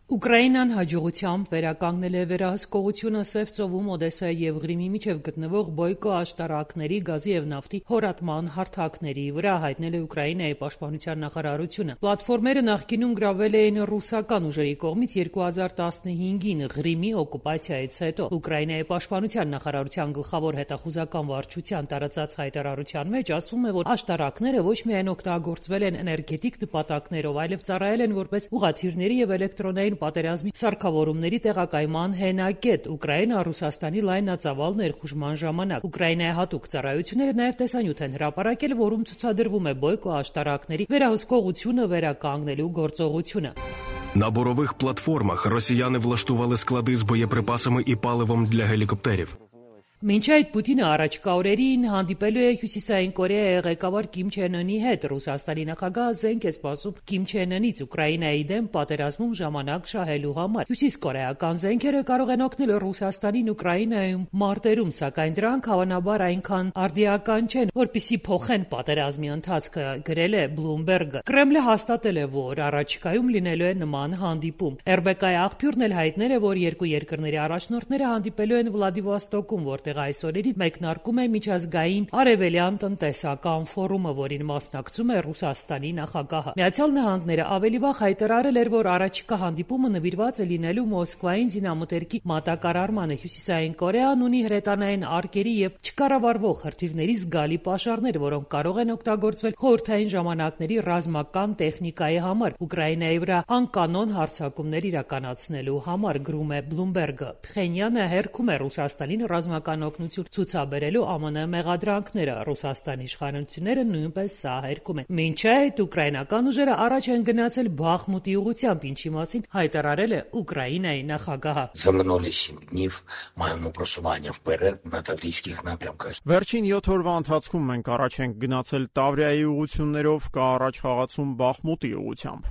Ուկրաինան հաջողությամբ վերականգնել է վերահսկողությունը Սև ծովում Օդեսայի և Ղրիմի միջև գտնվող Բոյկո աշտարակների, գազի և նավթի հորատման հարթակների վրա, հայտնել է Ուկրաինայի պաշտպանության նախարարությունը։ Պլատֆորմերը նախկինում գրավել էին ռուսական ուժերի կողմից 2015-ին Ղրիմի օկուպացիայից հետո։ Ուկրաինայի պաշտպանության նախարարության գլխավոր հետախուզական վարչության տարածած հայտարարության մեջ ասվում է, որ աշտարակները ոչ միայն օգտագործվել են էներգետիկ նպատակներով, այլև ծառայել են որպես ուղղաթիռների և էլեկտրոնային պատերազմի սարքավորումների տեղակայման հենակետ Ուկրաինա-Ռուսաստանի լայնածավալ ներխուժման ժամանակ։ Ուկրաինայի հատուկ ծառայությունները նաև տեսանյութ են հրապարակել, որում ցուցադրվում է Բոյկո աշտարակների վերահսկողությունը վերականգնելու գործողությունը։ На бурових платформах росіяни влаштували склади з боєприпасами і паливом для гелікоптерів. Մինչ այդ Պուտինը առաջկա օրերին հանդիպելու է Հյուսիսային Կորեայի ղեկավար Կիմ Չեն Ընի հետ։ Ռուսաստանի նախագահը զենք է սպասում Կիմ Չեն Ընից Ուկրաինայի դեմ պատերազմում ժամանակ շահելու համար։ Հյուսիսկորեական զենքերը կարող են օգնել Ռուսաստանին Ուկրաինայում մարտերում, սակայն դրանք հավանաբար այնքան արդիական չեն, որպեսզի փոխեն պատերազմի ընթացքը, գրել է Bloomberg-ը։ Կրեմլը հաստատել է, որ առաջիկայում լինելու է նման հանդիպում։ RBK-ի աղբյուրն էլ հայտնել է, որ երկու երկրների առաջնորդները հանդիպելու են Վլադիվոստոկում, որտեղ այս օրերին մեկնարկում է միջազգային արևելյան տնտեսական ֆորումը, որին մասնակցում է Ռուսաստանի նախագահը։ Միացյալ Նահանգները ավելի վաղ հայտարարել էր, որ առաջիկա հանդիպումը նվիրված է լինելու Մոսկվային զինամթերքի մատակարարմանը։ Հյուսիսային Կորեան ունի հրետանային արկերի և չկառավարվող հրթիռների զգալի պաշարներ, որոնք կարող են օգտագործվել խորհրդային ժամանակների ռազմական տեխնիկայի համար Ուկրաինայի վրա անկանոն հարձակումներ իրականացնելու համար, գրում է Bloomberg-ը։ Փխենյանը հերքում է Ռուսաստանին ռազմական օգնություն ցուցաբերելու ԱՄՆ մեղադրանքները։ Ռուսաստանի իշխանությունները նույնպես սա հերքում են։ Մինչ այդ ուկրաինական ուժերը առաջ են գնացել Բախմուտի ուղղությամբ, ինչի մասին հայտարարել է Ուկրաինայի նախագահը։ Վերջին 7 օրվա ընթացքում մենք առաջ ենք գնացել Տավրիայի ուղղություններով, կա առաջ խաղացում Բախմուտի ուղղությամբ։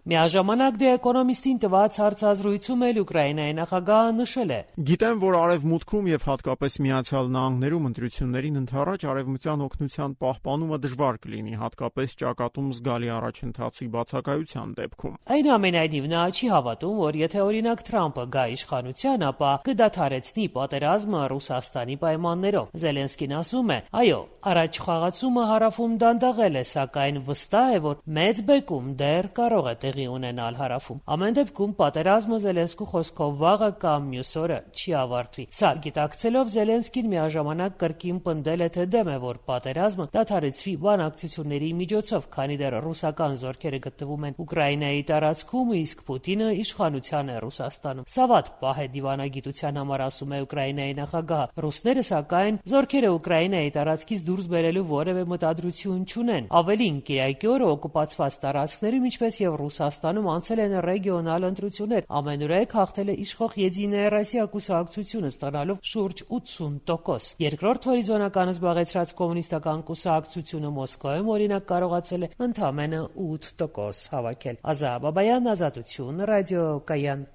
Միաժամանակ The Economist-ին տված հարցազրույցում էլ Ուկրաինայի նախագահը նշել է. Գիտեմ, որ արևմուտքում եւ հատկապես Միացյալ Նահանգներում ընտրություններին ընդառաջ արևմտյան օգնության պահպանումը դժվար կլինի, հատկապես ճակատում զգալի առաջընթացի բացակայության դեպքում։ Այնուամենայնիվ նա չի հավատում, որ եթե օրինակ Թրամփը գա իշխանության, ապա կդադարեցնի պատերազմը Ռուսաստանի պայմաններով։ Զելենսկին ասում է. այո, առաջ խաղացումը հարավում դանդաղել է, սակայն վստահ է, որ մեծ բեկում դեռ կարող է տեղի ունենալ հարավում։ Ամեն դեպքում պատերազմը Զելենսկու խոսքով վաղը կամ մյուս օրը չի ավարտվի։ Սա գիտակցելով Զելենսկին միաժամանակ կրկին պնդել է, թե դեմ է, որ պատերազմը դադարեցվի բանակցությունների միջոցով, քանի դեռ ռուսական զորքերը գտնվում են Ուկրաինայի տարածքում, իսկ Պուտինը իշխանության է Ռուսաստանում։ Սա վատ պահ է դիվանագիտության համար, ասում է Ուկրաինայի նախագահը։ Ռուսները, սակայն, զորքերը Ուկրաինայի տարածքից դուրս բերելու որևէ մտադրություն չունեն։ Ավելին, կիրակի օրը օկուպացված տարածքներում, ինչպես եւ Ռուսաստանում անցել են ռեգիոնալ ընտրություններ։ Ամենուրեք հաղթել է իշխող Եդիная Ռոսիա կուսակցությունը, ստանալով շուրջ 80%։ Երկրորդ հորիզոնական զբաղեցրած կոմունիստական կուսակցությունը Մոսկվայում օրինակ կարողացել է ընդամենը 8% հավաքել։ Ազա Բաբայան, Ազատություն, ռադիո Կայան։